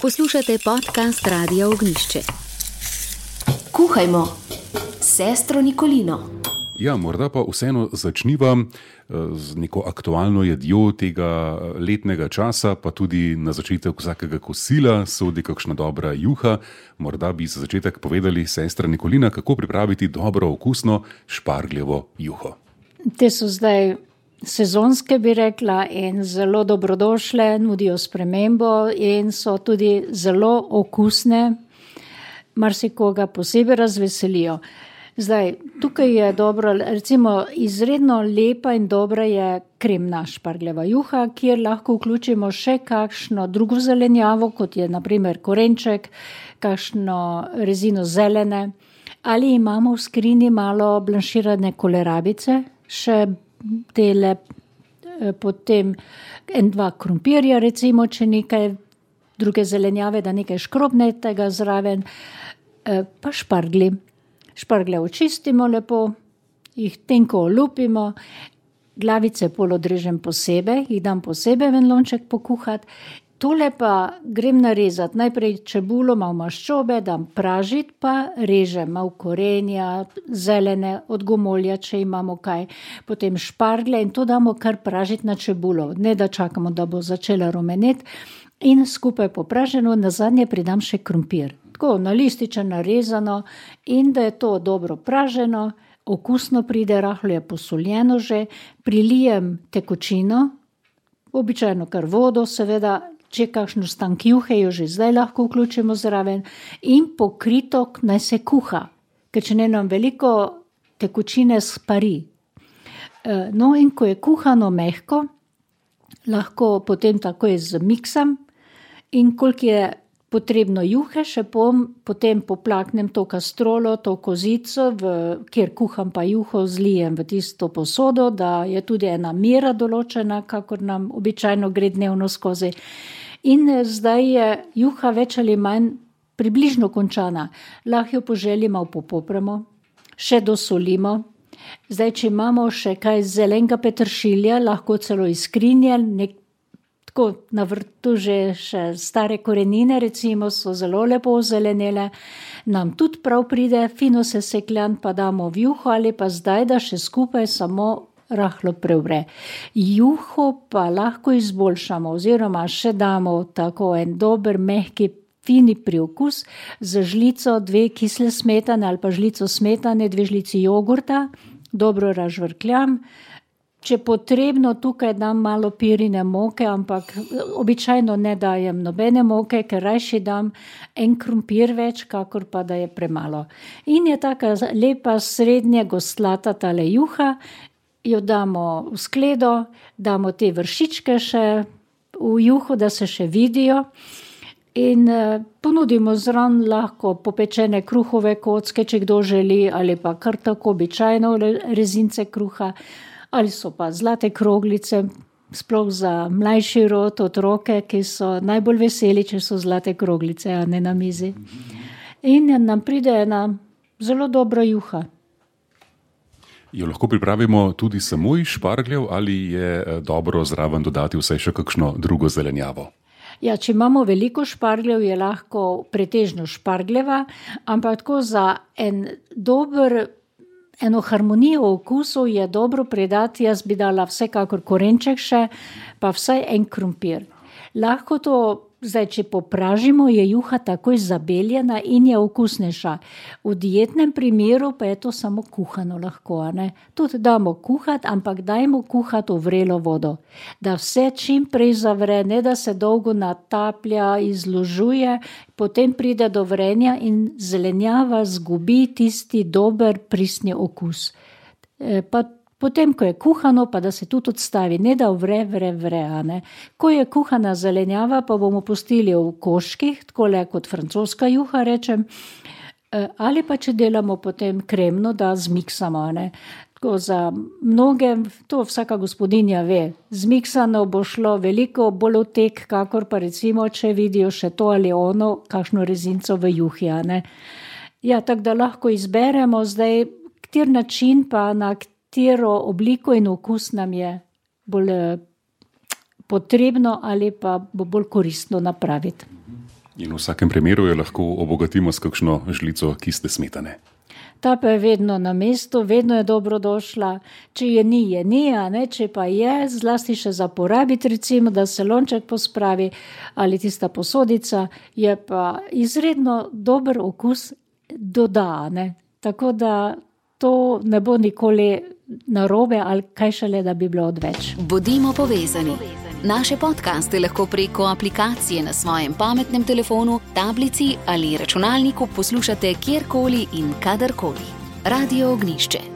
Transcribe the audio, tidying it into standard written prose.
Poslušate podcast Radia Ognjišče. Kuhajmo, sestro Nikolino. Ja, morda pa vseeno začniva z neko aktualno jedjo tega letnega časa, pa tudi na začetek vsakega kosila sodi kakšna dobra juha. Morda bi za začetek povedali, sestra Nikolina, kako pripraviti dobro okusno špargljevo juho. Te so zdaj sezonske, bi rekla, in zelo dobrodošle, nudijo spremembo in so tudi zelo okusne, marsikoga posebej razveselijo. Zdaj, tukaj je dobro, recimo izredno lepa in dobra je kremna špargljeva juha, kjer lahko vključimo še kakšno drugo zelenjavo, kot je na primer korenček, kakšno rezino zelene, ali imamo v skrini malo blanširane kolerabice, še tele, potem 1-2 krompirja, recimo, če nekaj druge zelenjave, da nekaj škrobnetega zraven, pa šparglji. Šparglje očistimo lepo, jih tenko olupimo, glavice pol odrežem posebej, jih dam posebej v en lonček pokuhati. Tole pa grem narezati, najprej čebulo, malo maščobe, dam pražiti, pa režem malo korenja, zelene, od gomolja, če imamo kaj, potem šparglje in to damo kar pražiti na čebulo, ne da čakamo, da bo začela rumeneti in skupaj popraženo, nazadnje pridam še krompir. Tako na lističe narezano in da je to dobro praženo, okusno pride, rahlo je posoljeno že, prilijem tekočino, običajno kar vodo, seveda, če kakšno stank juhe, jo že zdaj lahko vključimo zraven in pokritok naj se kuha, ker če ne nam veliko tekočine spari. No in ko je kuhano mehko, lahko potem takoj zmiksam in koliko je potrebno juhe, še potem poplaknem to kastrolo, to kozico, kjer kuham pa juho, zlijem v tisto posodo, da je tudi ena mera določena, kakor nam običajno gre dnevno skozi. In zdaj je juha več ali manj približno končana. Lahko jo po želji malo popopramo, še dosolimo. Zdaj, če imamo še kaj zelenega peteršilja, lahko celo iz skrinje, tako na vrtu že še stare korenine, recimo, so zelo lepo ozelenele, nam tudi prav pride, fino sesekljan pa damo v juho ali pa zdaj, da še skupaj samo rahlo prevre. Juho pa lahko izboljšamo oziroma še damo tako en dober, mehki, fini priokus z žlico 2 kisle smetane ali pa žlico smetane, 2 žlici jogurta, dobro razžvrkljam. Če potrebno, tukaj dam malo pirine moke, ampak običajno ne dajem nobene moke, ker rajši dam en krompir več, kakor pa da je premalo. In je taka lepa srednje goslata tale juha, jo damo v skledo, damo te vršičke še v juho, da se še vidijo in ponudimo zraven lahko popečene kruhove kocke, če kdo želi, ali pa kar tako običajno rezince kruha, ali so pa zlate kroglice, sploh za mlajši rod, otroke, ki so najbolj veseli, če so zlate kroglice, a ne na mizi. In nam pride ena zelo dobra juha. Jo lahko pripravimo tudi samo iz špargljev ali je dobro zraven dodati vsaj še kakšno drugo zelenjavo? Ja, če imamo veliko špargljev, je lahko pretežno špargljeva, ampak tako za eno harmonijo okusu je dobro pridati, jaz bi dala vsekakor korenček še, pa vsaj en krompir. Lahko to, zdaj, če popražimo, je juha takoj zabeljena in je okusnejša. V dietnem primeru pa je to samo kuhano lahko, ne? Tudi damo kuhati, ampak dajmo kuhati v vrelo vodo, da vse čim prej zavre, ne da se dolgo nataplja, izložuje, potem pride do vrenja in zelenjava zgubi tisti dober pristni okus. Pa potem, ko je kuhano, pa da se tudi odstavi, ne da vre, a ne. Ko je kuhana zelenjava, pa bomo pustili v koščkih, takole kot francoska juha, rečem, ali pa če delamo potem kremno, da zmiksamo, a ne. Tako za mnoge, to vsaka gospodinja ve, zmiksano bo šlo veliko bolj v tek, kakor pa recimo, če vidijo še to ali ono, kakšno rezinco v juhi, a ne. Ja, tako da lahko izberemo zdaj, kater način pa na katero obliko in okus nam je bolj potrebno ali pa bo bolj koristno napraviti. In v vsakem primeru jo lahko obogatimo s kakšno žlico kiste smetane. Ta pa je vedno na mestu, vedno je dobrodošla. Če je ni, a ne? Če pa je, zlasti še za porabiti, recimo, da se lonček pospravi ali tista posodica, je pa izredno dober okus doda, ne? Tako da to ne bo nikoli narobe ali kaj šele, da bi bilo odveč. Bodimo povezani. Naše podcaste lahko preko aplikacije na svojem pametnem telefonu, tablici ali računalniku poslušate kjerkoli in kadarkoli. Radio Ognišče.